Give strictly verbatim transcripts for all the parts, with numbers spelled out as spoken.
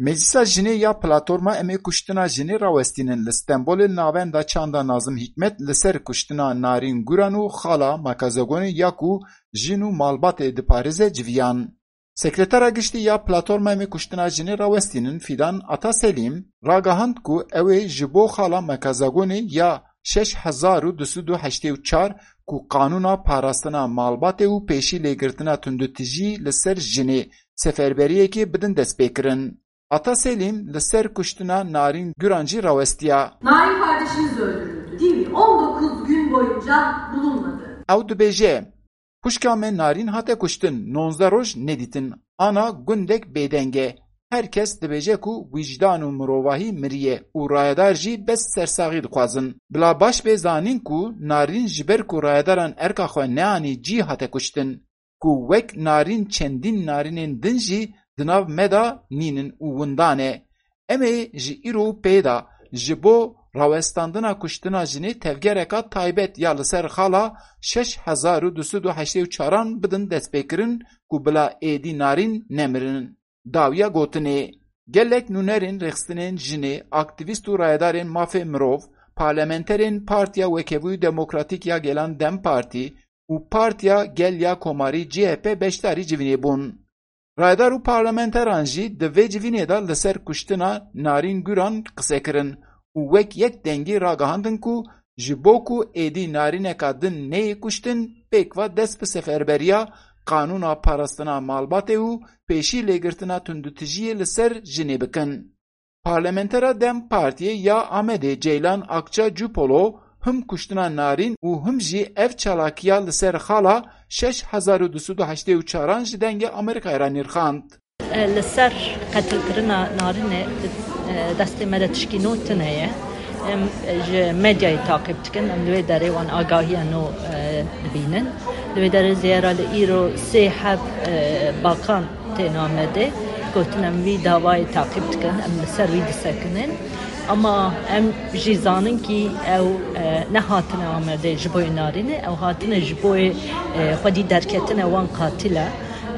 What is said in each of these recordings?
Meclisa Jinê ya Platforma Em ê Kuştina Jinê rawestînin li Stenbolê li navenda çanda Nazim Hikmet li ser kuştina Narîn Guran û xala Makazagonê ya ku jin û malbatê diparêze civiyan. Sekretera Giştî ya Platforma Em ê Kuştina Jinê rawestînin Fidan Ataselîm ragahand ku ew ê ji bo xala Mekazagonê ya şeş hezar û du sed û heştê û çar ku qanûna parastina malbatê û pêşî lêgirtina tundutijî li ser jinê seferberiyekê bidin destpêkirin. Ataselîm li ser kuştina Narîn Guran jî rawestiya. Narin kardeşimiz öldürüldü. Değil mi? on dokuz gün boyunca bulunmadı. Ew dibêje, Xwişka me Narîn hate kuştin, nonzdeh roj nedîtin. Ana gundek bêdeng e. Her kes dibêje ku wîcdan û mirovahî miriye û rayedar jî bes sersaxî dixwazin. Bila baş bê zanîn ku Narîn ji ber ku rayedaran erka xwe neanî cî hate kuştin. Ku wek Narîn çendîn Narînên din jî di nav me de nînin û windan e. Em ê ji îro û pê de ji bo rawestandina kuştina jinê tevgereka taybet ya li ser xala şeş hezar û du sed û heştê û çaran bidin destpêkirin ku bila êdî Narîn nemirin. Dawiya gotinê, gelek nûnerên rêxistinên jinê, aktîvîst û rayedarên mafê mirov, parlamenterên Partiya Wekevûyî Demokratîk ya Gelan DEM Partî û Partiya Gel ya Komarî C H P beşdarî civînê bûn. Rayedar û parlamenteran jî di vê civînê de li ser kuştina Narîn Guran qise kirin û wek yek dengî ragihandin ku ji bo ku êdî Narîneka din neyê kuştin, pêkva dest bi seferberiya qanûna parastina malbatê û pêşî lêgirtina tundutijiyê li ser jinê bikin. Parlamentera DEM Partiyê ya Amedê Ceylan Akça Cupolo him kuştina Narîn û him jî ev çalakiya li ser xala şeş hezar û du sed û heştê û çaran ji Dengê Amerîkayê re nirxand. Li ser qetilkirina Narînê, e, destê me de tişkî nû tune ye. Em ji medyayê taqîb dikin, em li wê derê wan agahiya nû, e, dibînin. Li wê derê zêra li îro sê heb, e, bakan tên Amedê, gotin em vî davayê taqîb dikin, em li ser wî disekinin. Ama em jî zanin kî ew, e, nehatine Amedê ji bo Narînê, ew hatine ji bo, e, xwedî derketine wan qatîle.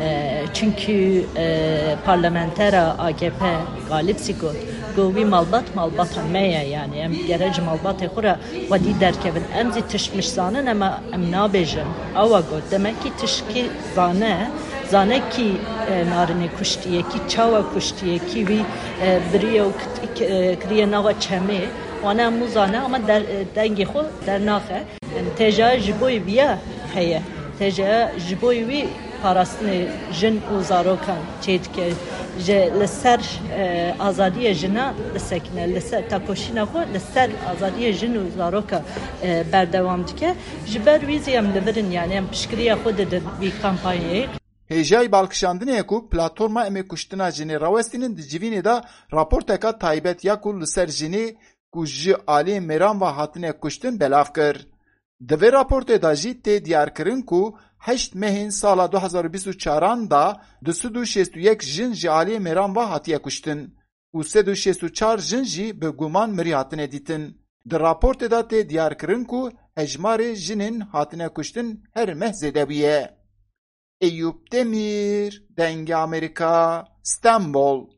E, çunkî, e, parlamentera A K P Galip zî got, got, wî malbat, malbata me ye, yanî em gere ji malbatê xwe re xwedî derkevin. Em zî tişt mişt zanin, ema em nabêjin. Awa got, demekî tişkî zane, zane kî, e, Narînê kuştiye, kî çawa kuştiye, kî wî, e, biriye û kit-, k-, e, kiriye nava çemê. Wana hemû zane, ama der-, e, dengê xwe dernaxe. Yanî T J A ji bo viya heye. T J A ji bo wî parastinê jin û zarokan çêdike. Ji li ser, e, azadiyê jina disekine, li ser tekoşîna xwe li ser azadiyê jin û zaroka, e, berdewam dike. Ji ber wî zî em li vir in, yanî em piştgiriya xwe didin vî kampanyayê. Hêjayî balkişandinê ye ku Platforma Em ê Kuştina Jinê rawestînin di civînê de raporteka taybet ya ku li ser jinê ku ji aliyê mêran ve hatine kuştin belav kir. Di vê raportê de jî tê diyarkirin ku heşt mehên sala du hezar û bîst û çaran de du sed û şêst û yek jin ji aliyê mêran ve hatiye kuştin û sed û şêst û çar jin jî bi guman mirî hatine dîtin. Di raportê de tê diyarkirin ku hejmarê jinên hatine kuştin her meh zêde bûye. Eyûp Demîr, Dengê Amerîka, Stenbol.